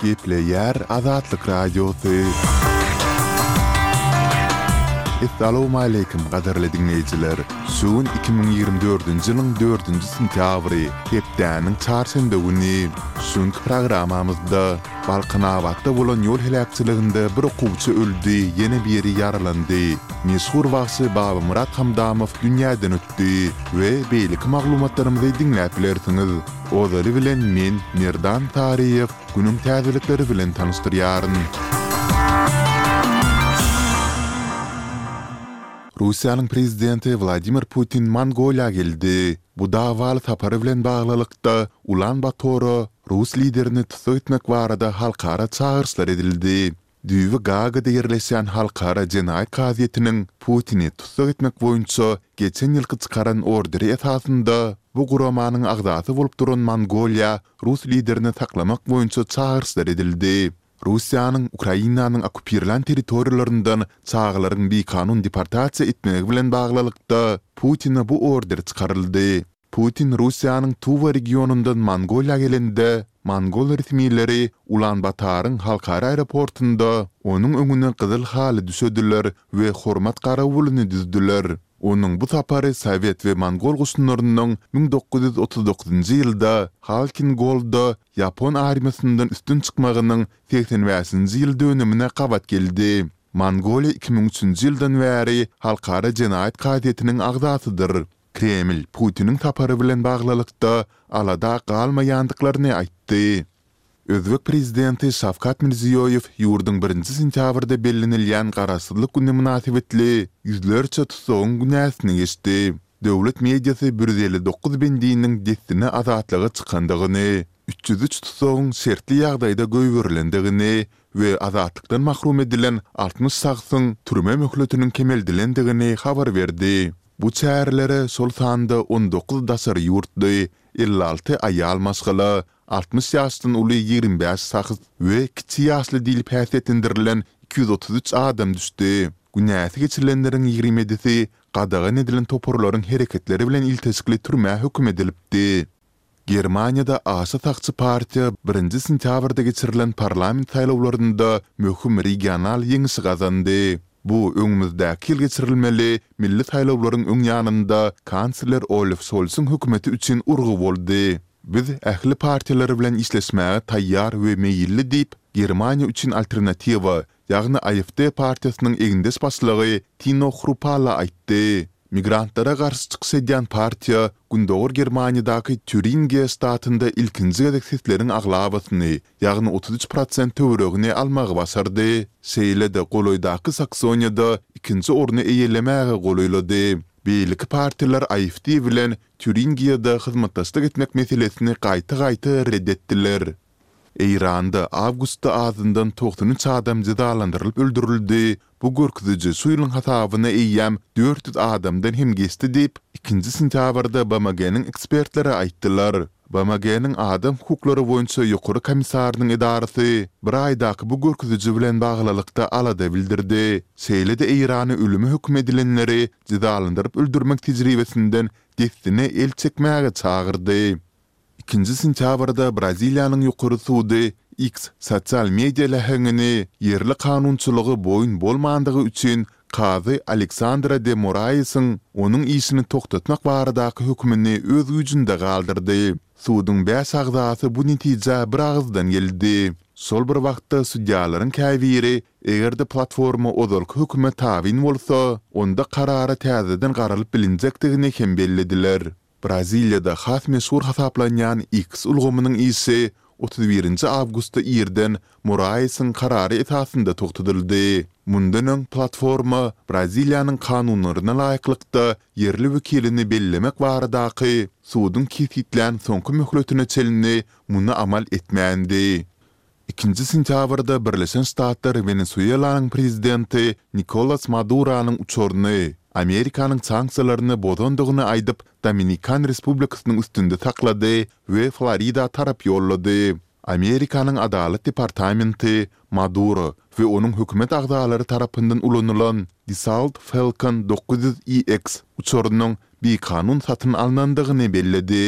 Gepleýär Azatlyk Radiosy. Essalawmaleýkim gadyrly diňleýjiler! Şu gün 2024-nji ýylyň dördünji sentýabry, hepdäniň çarşenbe güni. Şu günki programmamyzda Balkanabatda bolan ýol heläkçiliginde bir okuwçy öldi, ýene biri ýaralandy. Meşhur bagşy Babamyrat Hamdamow dünýäden ötdi we beýleki maglumatlarymyzy diňläp bilersiňiz. Ozaly bilen men, Merdan Taryýew, günüň täzelikleri bilen tanyşdyrýaryn. Russiýanyň Prezidenti Wladimir Putin Mongoliýa geldi. Bu dawaly sapary bilen baglylykda, Ulan-Batora rus liderini tussag etmek barada halkara çagyryşlar edildi. Düýbi Gaagada ýerleşýän Halkara jenaýat kazyýetiniň Putini tussag etmek boýunça geçen ýylky çykaran orderi esasynda, bu guramanyň agzasy bolup duran Mongoliýa rus liderini saklamak boýunça çagyryşlar edildi. Russiýanyň Ukrainanyň okkupirlän territoriýalaryndan çagalaryň bikanun deportasiýa etmegi bilen baglylykda, Putine bu order çykaryldy. Putin Russiýanyň Tuwa regionyndan Mongoliýa gelende, mongol resmileri Ulan-Bataryň halkara aeroportynda onuň öňüne gyzyl haly düşediler we hormat garawulyny düzdüler. Onuň bu sapary sowet we mongol goşunlarynyň 1939-njy ýylda Halkin-Golda ýapon armiýasyndan üstün çykmagynyň 85-nji ýyl dönümine gabat geldi. Mongoliýa 2003-nji ýyldan bäri Halkara jenaýat kazyýetiniň agzasydyr. Kreml Putiniň sapary bilen baglylykda alada galmaýandyklaryny aýtdy. Özbek prezidenti Şawkat Mirziýoýew ýurduň birinji sentýabrda bellenilýän Garaşsyzlyk güni mynasybetli ýüzlerçe tussagyň günäsini geçdi. Döwlet mediasy 159 bendiniň dessine azatlyga çykandygyny, 303 tussagyň şertli ýagdaýda goýberilendigini we azatlykdan mahrum edilen 60 şahsyň türme möhletiniň kemeldilendigini habar berdi. Bu çärelere şol sanda 19 daşary ýurtly, 56 aýal maşgala, 60 ýaşdan uly 25 şahs we kiçi ýaşly diýlip häsiýetlendirilen 233 adam düşdi. Günäsi geçilenleriň 27-si gadagan edilen toparlaryň hereketleri bilen ilteşikli türmä höküm edilipdi. Germaniýada aşa sagçy partiýa birinji sentýabrda geçirilen parlament saýlawlarynda möhüm regional ýeňişi gazandy. Bu öňümizdäki ýyl geçirilmeli milli saýlawlaryň öň ýanynda kansler Olaf Şolsyň hökümeti üçin urgy boldy. Biz ähli partiýalar bilen işleşmäge taýýar we meýilli diýip, Germaniýa üçin alternatiwa, ýagny AfD partiýasynyň egindeş başlygy Tino Hrupalla aýtdy. Migrantlara garşy çykyş edýän partiýa Gündogar Germaniýadaky Týuringiýa ştatynda ilkinji gezek sesleriň aglabasyny, ýagny 33 prosent töweregini almagy başardy. Şeýle-de golaýdaky Saksoniýada ikinji orny eýelemäge golaýlady. Beýleki partiýalar AfD bilen Týuringiýada hyzmatdaşlyk etmek meselesini gaýta-gaýta ret etdiler. Eýranda awgustda azyndan 93 adam jezalandyrylyp öldürildi, bu görkeziji şu ýylyň hasabyna eýýäm 400 adamdan hem geçdi diýip, ikinji sentýabrda BMG-niň ekspertleri aýtdylar. BMG-niň Adam hukuklary boýunça Ýokary komissarynyň edarasy bir aýdaky bu görkeziji bilen baglylykda alada bildirdi, şeýle-de Eýrany ölüme höküm edilenleri jezalandyryp öldürmek tejribesinden dessine el çekmäge çagyrdy. Ikinji sentýabrda Braziliýanyň Ýokary sudy X sosial media läheňini ýerli kanunçylyga boýun bolmandygy üçin kazy Aleksandra de Moraesiň onuň işini togtatmak baradaky hökümini öz güýjünde galdyrdy. Suduň bäş agzasy bu netijä biragyzdan geldi. Şol bir wagtda sudýalaryň käbiri eger-de platforma ozalky höküme tabyn bolsa, onda karara täzeden garalyp bilinjekdigini hem bellediler. Braziliýada has meşhur hasaplanýan X ulgamynyň işi 31 nji awgustda irden Moraesiň karary esasynda togtadyldy. Mundan öň platforma Braziliýanyň kanunlaryna laýyklykda ýerli wekilini bellemek baradaky suduň kesgitlän soňky möhletine çenli muny amal etmändi. Ikinji sentýabrda Birleşen Ştatlar Wenesuelanyň prezidenti Nikolas Maduronyň uçaryny Amerikanyň sanksiýalaryny bozandygyny aýdyp, Dominikan Respublikasynyň üstünde saklady we Florida tarap ýollady. Amerikanyň Adalat departamenti Maduro we onuň hökümet agzalary tarapyndan ulanylan Dassault Falcon 900 EX uçarynyň bikanun satyn alnandygyny belledi.